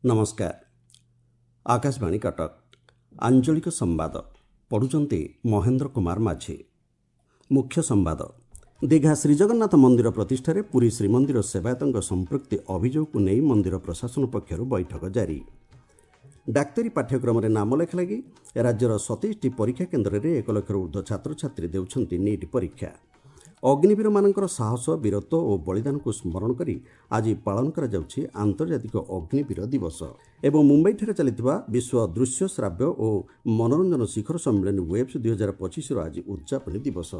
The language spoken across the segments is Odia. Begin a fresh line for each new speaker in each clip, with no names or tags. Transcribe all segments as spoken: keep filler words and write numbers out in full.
ନମସ୍କାର, ଆକାଶବାଣୀ କଟକ, ଆଞ୍ଚଳିକ ସମ୍ବାଦ ପଢ଼ୁଛନ୍ତି ମହେନ୍ଦ୍ର କୁମାର ମାଝୀ। ମୁଖ୍ୟ ସମ୍ବାଦ। ଦୀଘା ଶ୍ରୀଜଗନ୍ନାଥ ମନ୍ଦିର ପ୍ରତିଷ୍ଠାରେ ପୁରୀ ଶ୍ରୀମନ୍ଦିର ସେବାୟତଙ୍କ ସମ୍ପୃକ୍ତି ଅଭିଯୋଗକୁ ନେଇ ମନ୍ଦିର ପ୍ରଶାସନ ପକ୍ଷରୁ ବୈଠକ ଜାରି। ଡାକ୍ତରୀ ପାଠ୍ୟକ୍ରମରେ ନାମଲେଖା ଲାଗି ରାଜ୍ୟର ସତେଇଶଟି ପରୀକ୍ଷା କେନ୍ଦ୍ରରେ ଏକ ଲକ୍ଷରୁ ଉର୍ଦ୍ଧ୍ୱ ଛାତ୍ରଛାତ୍ରୀ ଦେଉଛନ୍ତି ନିଟ୍ ପରୀକ୍ଷା। ଅଗ୍ନିବୀରମାନଙ୍କର ସାହସ, ବୀରତ୍ୱ ଓ ବଳିଦାନକୁ ସ୍ମରଣ କରି ଆଜି ପାଳନ କରାଯାଉଛି ଆନ୍ତର୍ଜାତିକ ଅଗ୍ନିବୀର ଦିବସ। ଏବଂ ମୁମ୍ବାଇଠାରେ ଚାଲିଥିବା ବିଶ୍ୱ ଦୃଶ୍ୟ ଶ୍ରାବ୍ୟ ଓ ମନୋରଞ୍ଜନ ଶିଖର ସମ୍ମିଳନୀ ୱେବ୍ସ ଦୁଇ ହଜାର ପଚିଶର ଆଜି ଉଦ୍ଯାପନୀ ଦିବସ।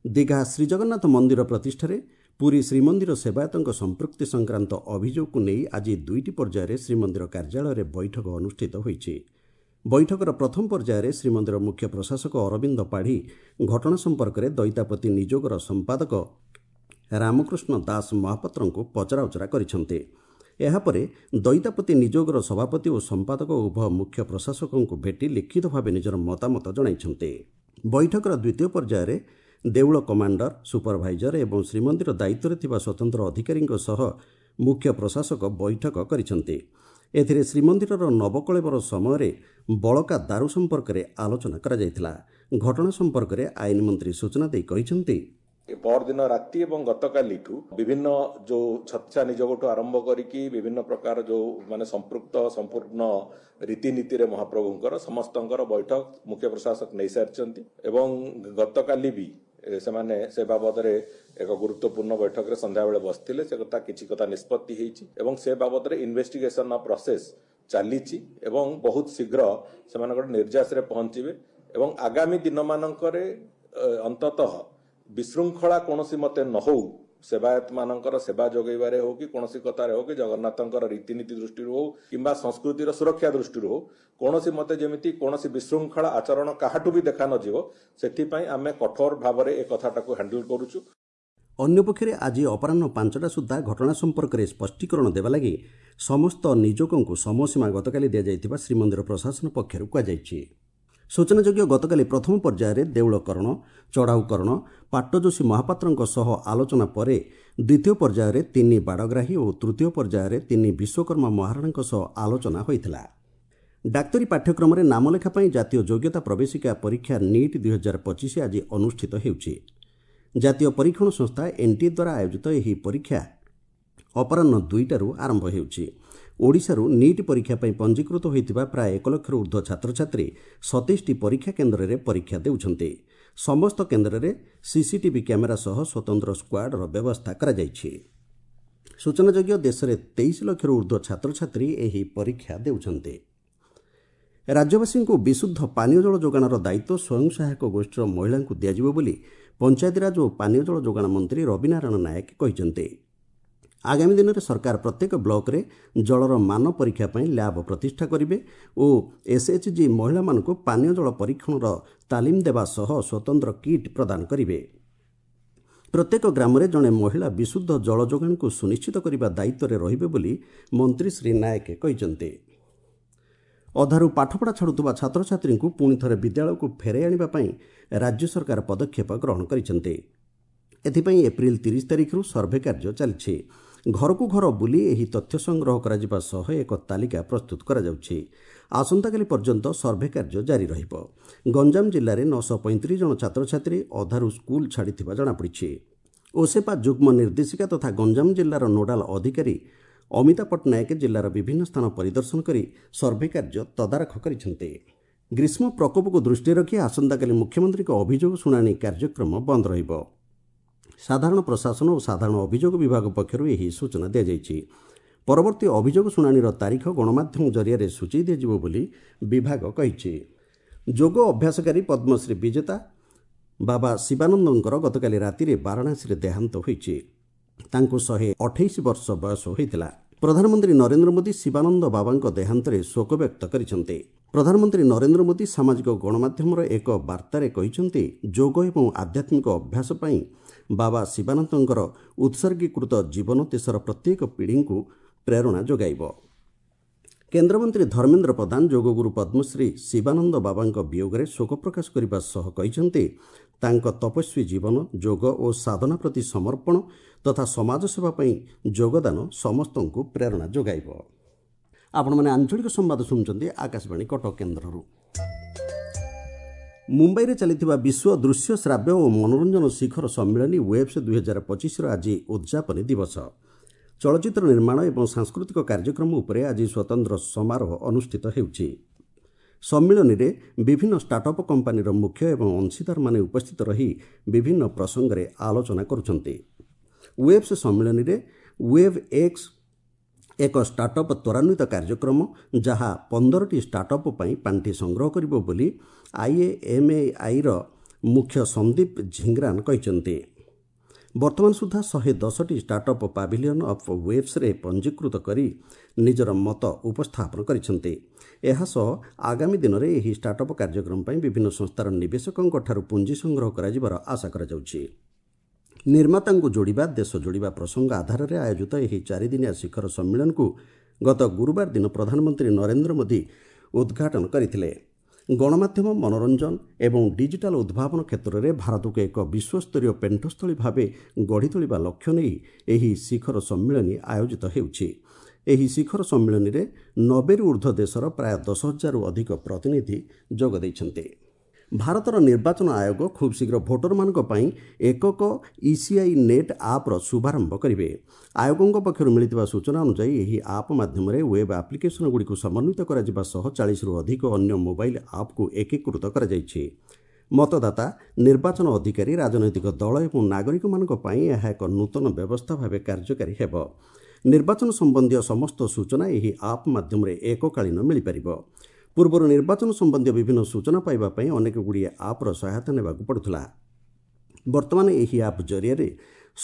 ଦୀଘା ଶ୍ରୀଜଗନ୍ନାଥ ମନ୍ଦିର ପ୍ରତିଷ୍ଠାରେ ପୁରୀ ଶ୍ରୀମନ୍ଦିର ସେବାୟତଙ୍କ ସମ୍ପୃକ୍ତି ସଂକ୍ରାନ୍ତ ଅଭିଯୋଗକୁ ନେଇ ଆଜି ଦୁଇଟି ପର୍ଯ୍ୟାୟରେ ଶ୍ରୀମନ୍ଦିର କାର୍ଯ୍ୟାଳୟରେ ବୈଠକ ଅନୁଷ୍ଠିତ ହୋଇଛି। ବୈଠକର ପ୍ରଥମ ପର୍ଯ୍ୟାୟରେ ଶ୍ରୀମନ୍ଦିର ମୁଖ୍ୟ ପ୍ରଶାସକ ଅରବିନ୍ଦ ପାଢ଼ୀ ଘଟଣା ସମ୍ପର୍କରେ ଦଇତାପତି ନିଯୋଗର ସମ୍ପାଦକ ରାମକୃଷ୍ଣ ଦାସ ମହାପାତ୍ରଙ୍କୁ ପଚରାଉଚରା କରିଛନ୍ତି। ଏହାପରେ ଦଇତାପତି ନିଯୋଗର ସଭାପତି ଓ ସମ୍ପାଦକ ଉଭୟ ମୁଖ୍ୟ ପ୍ରଶାସକଙ୍କୁ ଭେଟି ଲିଖିତ ଭାବେ ନିଜର ମତାମତ ଜଣାଇଛନ୍ତି। ବୈଠକର ଦ୍ୱିତୀୟ ପର୍ଯ୍ୟାୟରେ ଦେଉଳ କମାଣ୍ଡର, ସୁପରଭାଇଜର ଏବଂ ଶ୍ରୀମନ୍ଦିର ଦାୟିତ୍ୱରେ ଥିବା ସ୍ୱତନ୍ତ୍ର ଅଧିକାରୀଙ୍କ ସହ ମୁଖ୍ୟ ପ୍ରଶାସକ ବୈଠକ କରିଛନ୍ତି। ଏଥିରେ ଶ୍ରୀମନ୍ଦିରର ନବକଳେବର ସମୟରେ ବଳକା ଦାରୁ ସମ୍ପର୍କରେ ଆଲୋଚନା କରାଯାଇଥିଲା। ଘଟଣା ସମ୍ପର୍କରେ ଆଇନ ମନ୍ତ୍ରୀ ସୂଚନା ଦେଇ କହିଛନ୍ତି,
ପରଦିନ ରାତି ଏବଂ ଗତକାଲିଠୁ ବିଭିନ୍ନ ଯୋଉ ଛତ୍ସା ନିଯୋଗଠୁ ଆରମ୍ଭ କରିକି ବିଭିନ୍ନ ପ୍ରକାର ଯୋଉ ମାନେ ସମ୍ପୃକ୍ତ ସମ୍ପୂର୍ଣ୍ଣ ରୀତିନୀତିରେ ମହାପ୍ରଭୁଙ୍କର ସମସ୍ତଙ୍କର ବୈଠକ ମୁଖ୍ୟ ପ୍ରଶାସକ ନେଇସାରିଛନ୍ତି ଏବଂ ଗତକାଲି ବି ସେମାନେ ସେ ବାବଦରେ ଏକ ଗୁରୁତ୍ୱପୂର୍ଣ୍ଣ ବୈଠକରେ ସନ୍ଧ୍ୟାବେଳେ ବସିଥିଲେ। ସେ କଥା କିଛି କଥା ନିଷ୍ପତ୍ତି ହେଇଛି ଏବଂ ସେ ବାବଦରେ ଇନଭେଷ୍ଟିଗେସନ ପ୍ରୋସେସ ଚାଲିଛି ଏବଂ ବହୁତ ଶୀଘ୍ର ସେମାନଙ୍କର ନିର୍ଯାସରେ ପହଞ୍ଚିବେ ଏବଂ ଆଗାମୀ ଦିନମାନଙ୍କରେ ଅନ୍ତତଃ ବିଶୃଙ୍ଖଳା କୌଣସି ମତେ ନ ହଉ, ସେବାୟତ ମାନଙ୍କର ସେବା ଯୋଗାଇବାରେ ହଉ କି କୌଣସି କଥାରେ ହଉ କି ଜଗନ୍ନାଥଙ୍କର ରୀତିନୀତି ଦୃଷ୍ଟିରୁ ହଉ କିମ୍ବା ସଂସ୍କୃତିର ସୁରକ୍ଷା ଦୃଷ୍ଟିରୁ ହଉ, କୌଣସି ମତେ ଯେମିତି କୌଣସି ବିଶୃଙ୍ଖଳା ଆଚରଣ କାହାଠୁ ବି ଦେଖା ନଯିବ ସେଥିପାଇଁ ଆମେ କଠୋର ଭାବରେ ଏ କଥାଟାକୁ ହ୍ୟାଣ୍ଡେଲ କରୁଛୁ।
ଅନ୍ୟପକ୍ଷରେ ଆଜି ଅପରାହ୍ନ ପାଞ୍ଚଟା ସୁଦ୍ଧା ଘଟଣା ସମ୍ପର୍କରେ ସ୍ପଷ୍ଟୀକରଣ ଦେବା ଲାଗି ସମସ୍ତ ନିଯୋଗଙ୍କୁ ସମୟସୀମା ଗତକାଲି ଦିଆଯାଇଥିବା ଶ୍ରୀମନ୍ଦିର ପ୍ରଶାସନ ପକ୍ଷରୁ କୁହାଯାଇଛି। ସୂଚନାଯୋଗ୍ୟ, ଗତକାଲି ପ୍ରଥମ ପର୍ଯ୍ୟାୟରେ ଦେଉଳକରଣ, ଚଢ଼ାଉକରଣ, ପାଟ୍ଟଯୋଶୀ ମହାପାତ୍ରଙ୍କ ସହ ଆଲୋଚନା ପରେ ଦ୍ୱିତୀୟ ପର୍ଯ୍ୟାୟରେ ତିନି ବାଡ଼ଗ୍ରାହୀ ଓ ତୃତୀୟ ପର୍ଯ୍ୟାୟରେ ତିନି ବିଶ୍ୱକର୍ମା ମହାରଣାଙ୍କ ସହ ଆଲୋଚନା ହୋଇଥିଲା। ଡାକ୍ତରୀ ପାଠ୍ୟକ୍ରମରେ ନାମଲେଖା ପାଇଁ ଜାତୀୟ ଯୋଗ୍ୟତା ପ୍ରବେଶିକା ପରୀକ୍ଷା ନିଟ୍ ଦୁଇ ହଜାର ପଚିଶ ଆଜି ଅନୁଷ୍ଠିତ ହେଉଛି। ଜାତୀୟ ପରୀକ୍ଷଣ ସଂସ୍ଥା ଏନ୍ଟିଏ ଦ୍ୱାରା ଆୟୋଜିତ ଏହି ପରୀକ୍ଷା ଅପରାହ୍ନ ଦୁଇଟାରୁ ଆରମ୍ଭ ହେଉଛି। ଓଡ଼ିଶାରୁ ନିଟ୍ ପରୀକ୍ଷା ପାଇଁ ପଞ୍ଜୀକୃତ ହୋଇଥିବା ପ୍ରାୟ ଏକ ଲକ୍ଷରୁ ଉର୍ଦ୍ଧ୍ୱ ଛାତ୍ରଛାତ୍ରୀ ସତେଇଶଟି ପରୀକ୍ଷା କେନ୍ଦ୍ରରେ ପରୀକ୍ଷା ଦେଉଛନ୍ତି। ସମସ୍ତ କେନ୍ଦ୍ରରେ ସିସିଟିଭି କ୍ୟାମେରା ସହ ସ୍ୱତନ୍ତ୍ର ସ୍କ୍ୱାଡ୍ର ବ୍ୟବସ୍ଥା କରାଯାଇଛି। ସୂଚନାଯୋଗ୍ୟ, ଦେଶରେ ତେଇଶ ଲକ୍ଷରୁ ଉର୍ଦ୍ଧ୍ୱ ଛାତ୍ରଛାତ୍ରୀ ଏହି ପରୀକ୍ଷା ଦେଉଛନ୍ତି। ରାଜ୍ୟବାସୀଙ୍କୁ ବିଶୁଦ୍ଧ ପାନୀୟ ଜଳ ଯୋଗାଣର ଦାୟିତ୍ୱ ସ୍ୱୟଂ ସହାୟକ ଗୋଷ୍ଠୀର ମହିଳାଙ୍କୁ ଦିଆଯିବ ବୋଲି ପଞ୍ଚାୟତିରାଜ ଓ ପାନୀୟ ଜଳ ଯୋଗାଣ ମନ୍ତ୍ରୀ ରବିନାରାୟଣ ନାୟକ କହିଛନ୍ତି। ଆଗାମୀ ଦିନରେ ସରକାର ପ୍ରତ୍ୟେକ ବ୍ଲକରେ ଜଳର ମାନ ପରୀକ୍ଷା ପାଇଁ ଲ୍ୟାବ୍ ପ୍ରତିଷ୍ଠା କରିବେ ଓ ଏସ୍ଏଚ୍ଜି ମହିଳାମାନଙ୍କୁ ପାନୀୟ ଜଳ ପରୀକ୍ଷଣର ତାଲିମ ଦେବା ସହ ସ୍ୱତନ୍ତ୍ର କିଟ୍ ପ୍ରଦାନ କରିବେ। ପ୍ରତ୍ୟେକ ଗ୍ରାମରେ ଜଣେ ମହିଳା ବିଶୁଦ୍ଧ ଜଳ ଯୋଗାଣକୁ ସୁନିଶ୍ଚିତ କରିବା ଦାୟିତ୍ୱରେ ରହିବେ ବୋଲି ମନ୍ତ୍ରୀ ଶ୍ରୀ ନାୟକ କହିଛନ୍ତି। ଅଧାରୁ ପାଠପଢ଼ା ଛାଡ଼ୁଥିବା ଛାତ୍ରଛାତ୍ରୀଙ୍କୁ ପୁଣି ଥରେ ବିଦ୍ୟାଳୟକୁ ଫେରାଇ ଆଣିବା ପାଇଁ ରାଜ୍ୟ ସରକାର ପଦକ୍ଷେପ ଗ୍ରହଣ କରିଛନ୍ତି। ଏଥିପାଇଁ ଏପ୍ରିଲ ତିରିଶ ତାରିଖରୁ ସର୍ଭେ କାର୍ଯ୍ୟ ଚାଲିଛି। ଘରକୁ ଘର ବୁଲି ଏହି ତଥ୍ୟ ସଂଗ୍ରହ କରାଯିବା ସହ ଏକ ତାଲିକା ପ୍ରସ୍ତୁତ କରାଯାଉଛି। ଆସନ୍ତାକାଲି ପର୍ଯ୍ୟନ୍ତ ସର୍ଭେ କାର୍ଯ୍ୟ ଜାରି ରହିବ। ଗଞ୍ଜାମ ଜିଲ୍ଲାରେ ନଅଶହ ପଇଁତିରିଶ ଜଣ ଛାତ୍ରଛାତ୍ରୀ ଅଧାରୁ ସ୍କୁଲ ଛାଡ଼ିଥିବା ଜଣାପଡ଼ିଛି। ଓସେପା ଯୁଗ୍ମ ନିର୍ଦ୍ଦେଶିକା ତଥା ଗଞ୍ଜାମ ଜିଲ୍ଲାର ନୋଡାଲ ଅଧିକାରୀ ଅମିତା ପଟ୍ଟନାୟକ ଜିଲ୍ଲାର ବିଭିନ୍ନ ସ୍ଥାନ ପରିଦର୍ଶନ କରି ସର୍ଭେ କାର୍ଯ୍ୟ ତଦାରଖ କରିଛନ୍ତି। ଗ୍ରୀଷ୍ମ ପ୍ରକୋପକୁ ଦୃଷ୍ଟିରେ ରଖି ଆସନ୍ତାକାଲି ମୁଖ୍ୟମନ୍ତ୍ରୀଙ୍କ ଅଭିଯୋଗ ଶୁଣାଣି କାର୍ଯ୍ୟକ୍ରମ ବନ୍ଦ ରହିବ। ସାଧାରଣ ପ୍ରଶାସନ ଓ ସାଧାରଣ ଅଭିଯୋଗ ବିଭାଗ ପକ୍ଷରୁ ଏହି ସୂଚନା ଦିଆଯାଇଛି। ପରବର୍ତ୍ତୀ ଅଭିଯୋଗ ଶୁଣାଣିର ତାରିଖ ଗଣମାଧ୍ୟମ ଜରିଆରେ ସୂଚାଇ ଦିଆଯିବ ବୋଲି ବିଭାଗ କହିଛି। ଯୋଗ ଅଭ୍ୟାସକାରୀ ପଦ୍ମଶ୍ରୀ ବିଜେତା ବାବା ଶିବାନନ୍ଦଙ୍କର ଗତକାଲି ରାତିରେ ବାରାଣାସୀରେ ଦେହାନ୍ତ ହୋଇଛି। ତାଙ୍କୁ ଶହେ ଅଠେଇଶ ବର୍ଷ ବୟସ ହୋଇଥିଲା। ପ୍ରଧାନମନ୍ତ୍ରୀ ନରେନ୍ଦ୍ର ମୋଦି ଶିବାନନ୍ଦ ବାବାଙ୍କ ଦେହାନ୍ତରେ ଶୋକ ବ୍ୟକ୍ତ କରିଛନ୍ତି। ପ୍ରଧାନମନ୍ତ୍ରୀ ନରେନ୍ଦ୍ର ମୋଦି ସାମାଜିକ ଗଣମାଧ୍ୟମର ଏକ ବାର୍ତ୍ତାରେ କହିଛନ୍ତି, ଯୋଗ ଏବଂ ଆଧ୍ୟାତ୍ମିକ ଅଭ୍ୟାସ ପାଇଁ ବାବା ଶିବାନନ୍ଦଙ୍କର ଉତ୍ସର୍ଗୀକୃତ ଜୀବନ ଦେଶର ପ୍ରତ୍ୟେକ ପିଢ଼ିଙ୍କୁ ପ୍ରେରଣା ଯୋଗାଇବ। କେନ୍ଦ୍ରମନ୍ତ୍ରୀ ଧର୍ମେନ୍ଦ୍ର ପ୍ରଧାନ ଯୋଗଗୁରୁ ପଦ୍ମଶ୍ରୀ ଶିବାନନ୍ଦ ବାବାଙ୍କ ବିୟୋଗରେ ଶୋକ ପ୍ରକାଶ କରିବା ସହ କହିଛନ୍ତି, ତାଙ୍କ ତପସ୍ୱୀ ଜୀବନ, ଯୋଗ ଓ ସାଧନା ପ୍ରତି ସମର୍ପଣ ତଥା ସମାଜସେବା ପାଇଁ ଯୋଗଦାନ ସମସ୍ତଙ୍କୁ ପ୍ରେରଣା ଯୋଗାଇବ। ଆପଣମାନେ ଆଞ୍ଚଳିକ ସମ୍ବାଦ ଶୁଣୁଛନ୍ତି ଆକାଶବାଣୀ କଟକ କେନ୍ଦ୍ରରୁ। ମୁମ୍ବାଇରେ ଚାଲିଥିବା ବିଶ୍ୱ ଦୃଶ୍ୟ ଶ୍ରାବ୍ୟ ଓ ମନୋରଞ୍ଜନ ଶିଖର ସମ୍ମିଳନୀ ୱେବ୍ସ ଦୁଇହଜାର ପଚିଶର ଆଜି ଉଦ୍ଯାପନୀ ଦିବସ। ଚଳଚ୍ଚିତ୍ର ନିର୍ମାଣ ଏବଂ ସାଂସ୍କୃତିକ କାର୍ଯ୍ୟକ୍ରମ ଉପରେ ଆଜି ସ୍ୱତନ୍ତ୍ର ସମାରୋହ ଅନୁଷ୍ଠିତ ହେଉଛି। ସମ୍ମିଳନୀରେ ବିଭିନ୍ନ ଷ୍ଟାର୍ଟଅପ୍ କମ୍ପାନୀର ମୁଖ୍ୟ ଏବଂ ଅଂଶୀଦାରମାନେ ଉପସ୍ଥିତ ରହି ବିଭିନ୍ନ ପ୍ରସଙ୍ଗରେ ଆଲୋଚନା କରୁଛନ୍ତି। ୱେବ୍ସ ସମ୍ମିଳନୀରେ ୱେବ୍ ଏକ୍ସ ଏକ ଷ୍ଟାର୍ଟଅପ୍ ତ୍ୱରାନ୍ୱିତ କାର୍ଯ୍ୟକ୍ରମ, ଯାହା ପନ୍ଦରଟି ଷ୍ଟାର୍ଟଅପ୍ ପାଇଁ ପାଣ୍ଠି ସଂଗ୍ରହ କରିବ ବୋଲି ଆଇଏଏମ୍ଏଆଇର ମୁଖ୍ୟ ସନ୍ଦୀପ ଝିଙ୍ଗ୍ରାନ କହିଛନ୍ତି। ବର୍ତ୍ତମାନ ସୁଦ୍ଧା ଶହେ ଦଶଟି ଷ୍ଟାର୍ଟଅପ୍ ପାଭିଲିୟନ୍ ଅଫ୍ ୱେବ୍ସରେ ପଞ୍ଜୀକୃତ କରି ନିଜର ମତ ଉପସ୍ଥାପନ କରିଛନ୍ତି। ଏହାସହ ଆଗାମୀ ଦିନରେ ଏହି ଷ୍ଟାର୍ଟଅପ୍ କାର୍ଯ୍ୟକ୍ରମ ପାଇଁ ବିଭିନ୍ନ ସଂସ୍ଥାର ନିବେଶକଙ୍କଠାରୁ ପୁଞ୍ଜି ସଂଗ୍ରହ କରାଯିବାର ଆଶା କରାଯାଉଛି। ନିର୍ମାତାଙ୍କୁ ଯୋଡ଼ିବା, ଦେଶ ଯୋଡ଼ିବା ପ୍ରସଙ୍ଗ ଆଧାରରେ ଆୟୋଜିତ ଏହି ଚାରିଦିନିଆ ଶିଖର ସମ୍ମିଳନୀକୁ ଗତ ଗୁରୁବାର ଦିନ ପ୍ରଧାନମନ୍ତ୍ରୀ ନରେନ୍ଦ୍ର ମୋଦି ଉଦ୍ଘାଟନ କରିଥିଲେ। ଗଣମାଧ୍ୟମ, ମନୋରଞ୍ଜନ ଏବଂ ଡିଜିଟାଲ ଉଦ୍ଭାବନ କ୍ଷେତ୍ରରେ ଭାରତକୁ ଏକ ବିଶ୍ୱସ୍ତରୀୟ ପେଣ୍ଠସ୍ଥଳୀ ଭାବେ ଗଢ଼ି ତୋଳିବା ଲକ୍ଷ୍ୟ ନେଇ ଏହି ଶିଖର ସମ୍ମିଳନୀ ଆୟୋଜିତ ହେଉଛି। ଏହି ଶିଖର ସମ୍ମିଳନୀରେ ନବେରୁ ଉର୍ଦ୍ଧ୍ୱ ଦେଶର ପ୍ରାୟ ଦଶ ହଜାରରୁ ଅଧିକ ପ୍ରତିନିଧି ଯୋଗ ଦେଇଛନ୍ତି। ଭାରତର ନିର୍ବାଚନ ଆୟୋଗ ଖୁବ୍ ଶୀଘ୍ର ଭୋଟରମାନଙ୍କ ପାଇଁ ଏକକ ଇସିଆଇ ନେଟ୍ ଆପ୍ର ଶୁଭାରମ୍ଭ କରିବେ। ଆୟୋଗଙ୍କ ପକ୍ଷରୁ ମିଳିଥିବା ସୂଚନା ଅନୁଯାୟୀ ଏହି ଆପ୍ ମାଧ୍ୟମରେ ୱେବ୍ ଆପ୍ଲିକେସନଗୁଡ଼ିକୁ ସମନ୍ୱିତ କରାଯିବା ସହ ଚାଳିଶରୁ ଅଧିକ ଅନ୍ୟ ମୋବାଇଲ ଆପ୍କୁ ଏକୀକୃତ କରାଯାଇଛି। ମତଦାତା, ନିର୍ବାଚନ ଅଧିକାରୀ, ରାଜନୈତିକ ଦଳ ଏବଂ ନାଗରିକମାନଙ୍କ ପାଇଁ ଏହା ଏକ ନୂତନ ବ୍ୟବସ୍ଥା ଭାବେ କାର୍ଯ୍ୟକାରୀ ହେବ। ନିର୍ବାଚନ ସମ୍ବନ୍ଧୀୟ ସମସ୍ତ ସୂଚନା ଏହି ଆପ୍ ମାଧ୍ୟମରେ ଏକକାଳୀନ ମିଳିପାରିବ। ପୂର୍ବରୁ ନିର୍ବାଚନ ସମ୍ବନ୍ଧୀୟ ବିଭିନ୍ନ ସୂଚନା ପାଇବା ପାଇଁ ଅନେକଗୁଡ଼ିଏ ଆପ୍ର ସହାୟତା ନେବାକୁ ପଡ଼ୁଥିଲା। ବର୍ତ୍ତମାନ ଏହି ଆପ୍ ଜରିଆରେ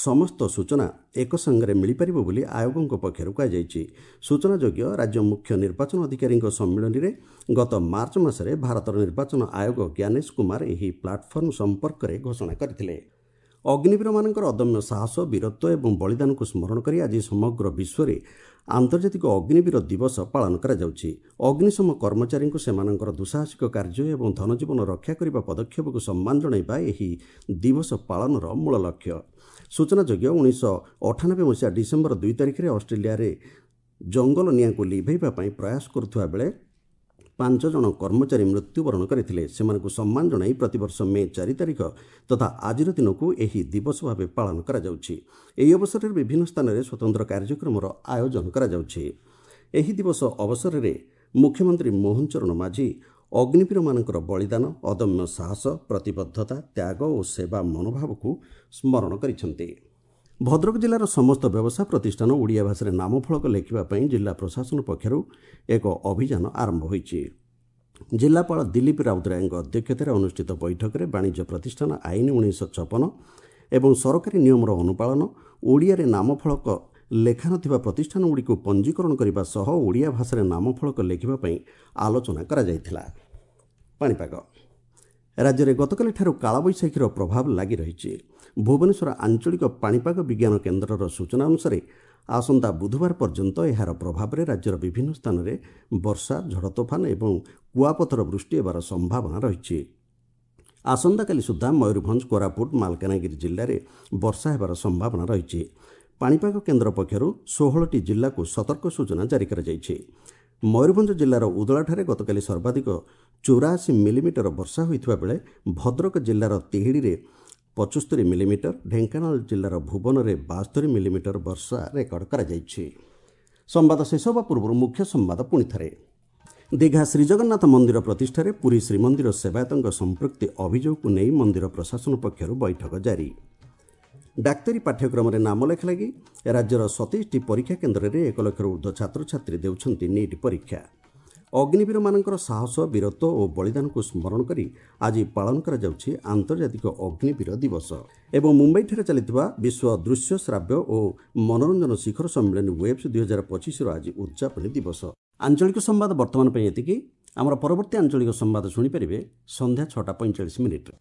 ସମସ୍ତ ସୂଚନା ଏକସଙ୍ଗରେ ମିଳିପାରିବ ବୋଲି ଆୟୋଗଙ୍କ ପକ୍ଷରୁ କୁହାଯାଇଛି। ସୂଚନାଯୋଗ୍ୟ, ରାଜ୍ୟ ମୁଖ୍ୟ ନିର୍ବାଚନ ଅଧିକାରୀଙ୍କ ସମ୍ମିଳନୀରେ ଗତ ମାର୍ଚ୍ଚ ମାସରେ ଭାରତର ନିର୍ବାଚନ ଆୟୋଗ ଜ୍ଞାନେଶ କୁମାର ଏହି ପ୍ଲାଟଫର୍ମ ସମ୍ପର୍କରେ ଘୋଷଣା କରିଥିଲେ। ଅଗ୍ନିବୀରମାନଙ୍କର ଅଦମ୍ୟ ସାହସ, ବୀରତ୍ୱ ଏବଂ ବଳିଦାନକୁ ସ୍ମରଣ କରି ଆଜି ସମଗ୍ର ବିଶ୍ୱରେ ଆନ୍ତର୍ଜାତିକ ଅଗ୍ନିବୀର ଦିବସ ପାଳନ କରାଯାଉଛି। ଅଗ୍ନିଶମ କର୍ମଚାରୀଙ୍କୁ ସେମାନଙ୍କର ଦୁଃସାହସିକ କାର୍ଯ୍ୟ ଏବଂ ଧନଜୀବନ ରକ୍ଷା କରିବା ପଦକ୍ଷେପକୁ ସମ୍ମାନ ଜଣାଇବା ଏହି ଦିବସ ପାଳନର ମୂଳ ଲକ୍ଷ୍ୟ। ସୂଚନାଯୋଗ୍ୟ, ଉଣେଇଶହ ଅଠାନବେ ମସିହା ଡିସେମ୍ବର ଦୁଇ ତାରିଖରେ ଅଷ୍ଟ୍ରେଲିଆରେ ଜଙ୍ଗଲ ନିଆଁକୁ ଲିଭାଇବା ପାଇଁ ପ୍ରୟାସ କରୁଥିବା ବେଳେ ପାଞ୍ଚ ଜଣ କର୍ମଚାରୀ ମୃତ୍ୟୁବରଣ କରିଥିଲେ। ସେମାନଙ୍କୁ ସମ୍ମାନ ଜଣାଇ ପ୍ରତିବର୍ଷ ମେ ଚାରି ତାରିଖ ତଥା ଆଜିର ଦିନକୁ ଏହି ଦିବସ ଭାବେ ପାଳନ କରାଯାଉଛି। ଏହି ଅବସରରେ ବିଭିନ୍ନ ସ୍ଥାନରେ ସ୍ୱତନ୍ତ୍ର କାର୍ଯ୍ୟକ୍ରମର ଆୟୋଜନ କରାଯାଉଛି। ଏହି ଦିବସ ଅବସରରେ ମୁଖ୍ୟମନ୍ତ୍ରୀ ମୋହନ ଚରଣ ମାଝୀ ଅଗ୍ନିବୀରମାନଙ୍କର ବଳିଦାନ, ଅଦମ୍ୟ ସାହସ, ପ୍ରତିବଦ୍ଧତା, ତ୍ୟାଗ ଓ ସେବା ମନୋଭାବକୁ ସ୍ମରଣ କରିଛନ୍ତି। ଭଦ୍ରକ ଜିଲ୍ଲାର ସମସ୍ତ ବ୍ୟବସାୟ ପ୍ରତିଷ୍ଠାନ ଓଡ଼ିଆ ଭାଷାରେ ନାମଫଳକ ଲେଖିବା ପାଇଁ ଜିଲ୍ଲା ପ୍ରଶାସନ ପକ୍ଷରୁ ଏକ ଅଭିଯାନ ଆରମ୍ଭ ହୋଇଛି। ଜିଲ୍ଲାପାଳ ଦିଲ୍ଲୀପ ରାଉତରାୟଙ୍କ ଅଧ୍ୟକ୍ଷତାରେ ଅନୁଷ୍ଠିତ ବୈଠକରେ ବାଣିଜ୍ୟ ପ୍ରତିଷ୍ଠାନ ଆଇନ ଉଣେଇଶହ ଛପନ ଏବଂ ସରକାରୀ ନିୟମର ଅନୁପାଳନ, ଓଡ଼ିଆରେ ନାମଫଳକ ଲେଖା ନଥିବା ପ୍ରତିଷ୍ଠାନଗୁଡ଼ିକୁ ପଞ୍ଜୀକରଣ କରିବା ସହ ଓଡ଼ିଆ ଭାଷାରେ ନାମଫଳକ ଲେଖିବା ପାଇଁ ଆଲୋଚନା କରାଯାଇଥିଲା। ପାଣିପାଗ ରାଜ୍ୟରେ ଗତକାଲିଠାରୁ କାଳବୈଶାଖୀର ପ୍ରଭାବ ଲାଗି ରହିଛି। ଭୁବନେଶ୍ୱର ଆଞ୍ଚଳିକ ପାଣିପାଗ ବିଜ୍ଞାନ କେନ୍ଦ୍ରର ସୂଚନା ଅନୁସାରେ ଆସନ୍ତା ବୁଧବାର ପର୍ଯ୍ୟନ୍ତ ଏହାର ପ୍ରଭାବରେ ରାଜ୍ୟର ବିଭିନ୍ନ ସ୍ଥାନରେ ବର୍ଷା, ଝଡ଼ ତୋଫାନ ଏବଂ କୁଆପଥର ବୃଷ୍ଟି ହେବାର ସମ୍ଭାବନା ରହିଛି। ଆସନ୍ତାକାଲି ସୁଦ୍ଧା ମୟୂରଭଞ୍ଜ, କୋରାପୁଟ, ମାଲକାନଗିରି ଜିଲ୍ଲାରେ ବର୍ଷା ହେବାର ସମ୍ଭାବନା ରହିଛି। ପାଣିପାଗ କେନ୍ଦ୍ର ପକ୍ଷରୁ ଷୋହଳଟି ଜିଲ୍ଲାକୁ ସତର୍କ ସୂଚନା ଜାରି କରାଯାଇଛି। ମୟୂରଭଞ୍ଜ ଜିଲ୍ଲାର ଉଦଳାଠାରେ ଗତକାଲି ସର୍ବାଧିକ ଚଉରାଅଶୀ ମିଲିମିଟର ବର୍ଷା ହୋଇଥିବା ବେଳେ ଭଦ୍ରକ ଜିଲ୍ଲାର ତିହିଡ଼ିରେ ପଞ୍ଚସ୍ତରୀ ମିଲିମିଟର, ଢେଙ୍କାନାଳ ଜିଲ୍ଲାର ଭୁବନରେ ବାସ୍ତରୀ ମିଲିମିଟର ବର୍ଷା ରେକର୍ଡ କରାଯାଇଛି। ସମ୍ବାଦ ଶେଷ ହେବା ପୂର୍ବରୁ ମୁଖ୍ୟ ସମ୍ବାଦ ପୁଣି ଥରେ। ଦୀଘା ଶ୍ରୀଜଗନ୍ନାଥ ମନ୍ଦିର ପ୍ରତିଷ୍ଠାରେ ପୁରୀ ଶ୍ରୀମନ୍ଦିର ସେବାୟତଙ୍କ ସମ୍ପୃକ୍ତି ଅଭିଯୋଗକୁ ନେଇ ମନ୍ଦିର ପ୍ରଶାସନ ପକ୍ଷରୁ ବୈଠକ ଜାରି। ଡାକ୍ତରୀ ପାଠ୍ୟକ୍ରମରେ ନାମଲେଖା ଲାଗି ରାଜ୍ୟର ସତେଇଶଟି ପରୀକ୍ଷା କେନ୍ଦ୍ରରେ ଏକ ଲକ୍ଷରୁ ଉର୍ଦ୍ଧ୍ୱ ଛାତ୍ରଛାତ୍ରୀ ଦେଉଛନ୍ତି ନିଟ୍ ପରୀକ୍ଷା। ଅଗ୍ନିବୀରମାନଙ୍କର ସାହସ, ବୀରତ୍ୱ ଓ ବଳିଦାନକୁ ସ୍ମରଣ କରି ଆଜି ପାଳନ କରାଯାଉଛି ଆନ୍ତର୍ଜାତିକ ଅଗ୍ନିବୀର ଦିବସ। ଏବଂ ମୁମ୍ବାଇଠାରେ ଚାଲିଥିବା ବିଶ୍ୱ ଦୃଶ୍ୟ ଶ୍ରାବ୍ୟ ଓ ମନୋରଞ୍ଜନ ଶିଖର ସମ୍ମିଳନୀ ୱେବ୍ସ ଦୁଇହଜାର ପଚିଶର ଆଜି ଉଦ୍ଯାପନୀ ଦିବସ। ଆଞ୍ଚଳିକ ସମ୍ବାଦ ବର୍ତ୍ତମାନ ପାଇଁ ଏତିକି। ଆମର ପରବର୍ତ୍ତୀ ଆଞ୍ଚଳିକ ସମ୍ବାଦ ଶୁଣିପାରିବେ ସନ୍ଧ୍ୟା ଛଅଟା ପଇଁଚାଳିଶ ମିନିଟ୍ରେ।